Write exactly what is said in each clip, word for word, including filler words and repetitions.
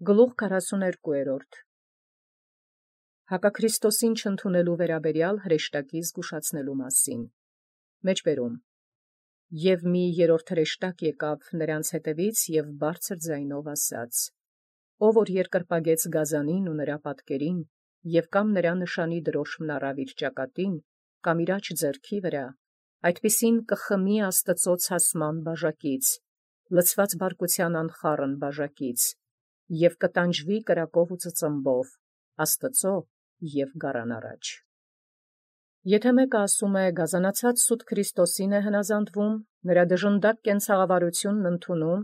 Գլուխ քառասունութերորդ. Հակաքրիստոսին չընդունելու վերաբերյալ հրեշտակի զգուշացնելու մասին։ Մեջբերում. Եւ մի երրորդ հրեշտակ եկավ նրանց հետևից եւ բարձր ձայնով ասաց. Ով որ երկրպագեց գազանին ու նրա պատկերին, եւ կամ նրա նշանի դրոշմն առավ իր ճակատին, կամ իր աջ ձեռքի վրա, այդպիսին կխմի Աստծոյ ցասման բաժակից, լցված բարկության անխառն բաժակից, եւ կտանջվի կրակով ու ծծմբով Աստծոյ եւ գառան առաջ։ Եթե մեկը ասում է գազանացած սուտ Քրիստոսին է հնազանդվում, նրա դժնդակ կենցաղավարությունն ընդունում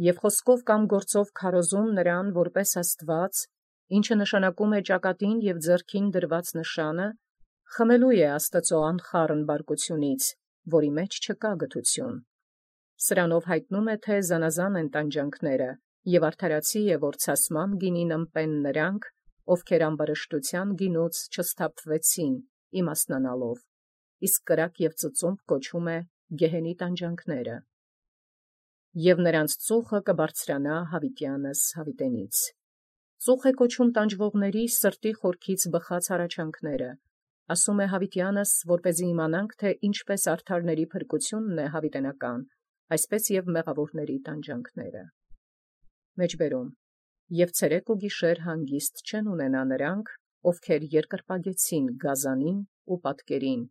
եւ խոսքով կամ գործով քարոզում նրան որպես Աստված, ինչը նշանակում է ճակատին եւ ձեռքին դրված նշանը, խմելու է Աստծոյ անխառն բարկությունից, որի մեջ չկա գթություն։ Սրանով հայտնում է, թե զանազան են տանջանքները, եւ արդարացի է, որ ցասման գինին ըմպեն նրանք, ովքեր ամբարշտության գինուց չսթափվեցին, իմաստնանալով, իսկ կրակ եւ ծծումբ կոչում է գեհենի տանջանքները։ Եւ նրանց ծուխը կբարձրանա յաւիտեանս յաւիտենից։ Ծուխ է կոչում տանջվողների սրտի խորքից բխած հառաչանքները, ասում է յաւիտեանս, որպեսզի իմանանք, թե ինչպես արդարների փրկությունն է յաւիտենական, այսպես եւ մեղավորների տանջանքները։ Մեջբերում. Եւ ցերեկ ու գիշեր հանգիստ չեն ունենա նրանք, ովքեր երկրպագեցին գազանին ու պատկերին,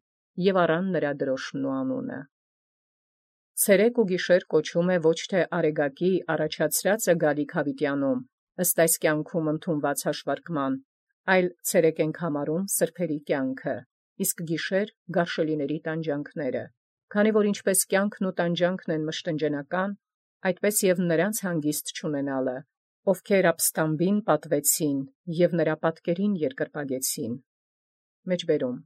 եւ առան նրա դրոշմն ու անունը։ Ցերեկ ու գիշեր կոչում է ոչ թե արեգակի առաջացրածը գալիք յաւիտեանում, ըստ այս կյանքում ընդունված հաշվարկման, այլ ցերեկ ենք համարում սրբերի կյանքը, իսկ գիշեր գարշելիների տանջանքները, քանի որ ինչպես կյանքն ու տանջանքն են մշտնջենական, այդպես եւ նրանց հանգիստ չունենալը, ովքեր ապստամբին պատվեցին եւ նրա պատկերին երկրպագեցին։ Մեջբերում.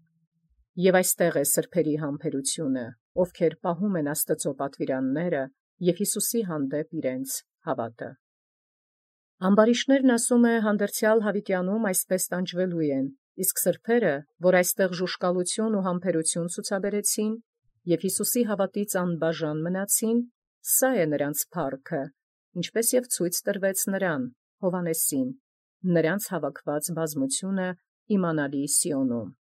Եւ այստեղ է սրբերի համբերությունը, ովքեր պահում են Աստծոյ պատվիրանները եւ Յիսուսի հանդեպ իրենց հաւատը։ Ամբարիշտներն ասում է հանդերձյալ յաւիտեանում այսպես տանջվելու են, իսկ սրբերը, որ այստեղ ժուշկալություն ու համբերություն ցուցաբերեցին եւ Յիսուսի հաւատից անբաժան մնացին, սա է նրանց փառքը, ինչպես եւ ցույց տրվեց նրան, Հովհաննեսին, նրանց հավաքված բազմությունը իմանալի Սիոնում։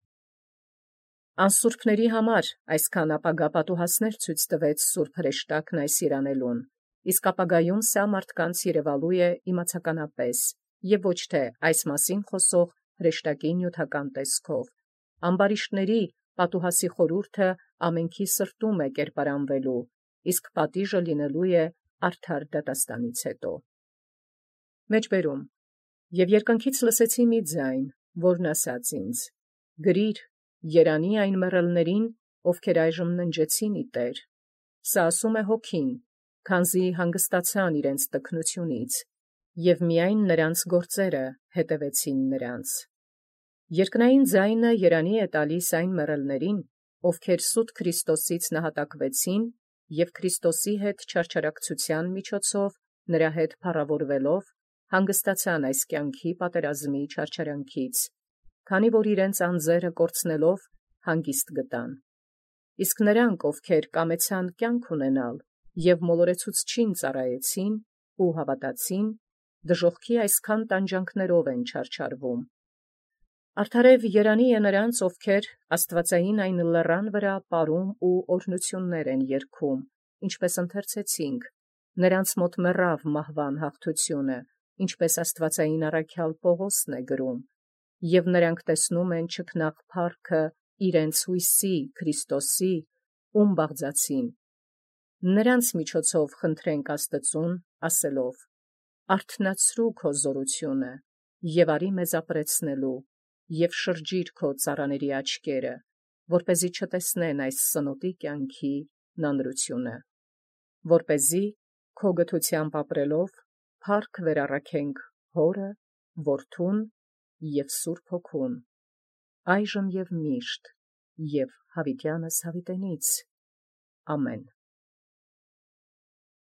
Անսուրբների համար այսքան ապագա պատուհասներ ցույց տվեց սուրբ հրեշտակն այս իրանելուն, իսկ ապագայում սա մարդկանց երևալու է իմացականապես եւ ոչ թե այս մասին խոսող հրեշտակի նյութական տեսքով։ Ամբարիշտների պատուհասի խորհուրդը ամենքի սրտում է կերպարանվելու, իսկ պատիժը լինելու է արդար դատաստանից հետո։ Մեջբերում. Եւ երկնքից լսեցի մի ձայն, որն ասաց ինձ. գրիր, երանի այն մեռելներին, ովքեր այժմ ննջեցին ի Տեր։ Սա ասում է հոգին, քանզի հանգստացան իրենց տքնությունից, եւ միայն նրանց գործերը հետևեցին նրանց։ Երկնային ձայնը երանի է տալիս այն մեռելներին, ովքեր սուտ Քրիստոսից նահատակվեցին եւ Քրիստոսի հետ չարչարակցության միջոցով նրա հետ փառավորվելով հանգստացան այս կյանքի պատերազմի չարչարանքից, քանի որ իրենց անձերը կորցնելով հանգիստ գտան։ Իսկ նրանք, ովքեր կամեցան կյանք ունենալ եւ մոլորեցուցչին ծառայեցին ու հավատացին, դժոխքի այսքան տանջանքներով են չարչարվում։ Արդարև երանի է նրանց, ովքեր աստվածային այն լեռան վրա պարում ու օրհնություններ են երգում, ինչպես ընթերցեցինք, նրանց մոտ մեռավ մահվան հաղթությունը, ինչպես աստվածային առաքյալ Պողոսն է գրում, եւ նրանք տեսնում են չքնաղ փառքը իրենց հույսի Քրիստոսի, ում բաղձացին։ Նրանց միջոցով խնդրենք Աստծուն, ասելով. «Արթնացրու քո զորությունը եւ արի մեզ ապրեցնելու, եւ շրջիր քո ծառաների աչքերը, որպեսզի չտեսնեն այս սնոտի կյանքի նանրությունը, որպեսզի քո գթությամբ ապրելով փառք վերառաքենք Հորը, Որդուն եւ Սուրբ Հոգուն, այժմ եւ միշտ եւ յաւիտեանս յաւիտենից։ Ամեն»։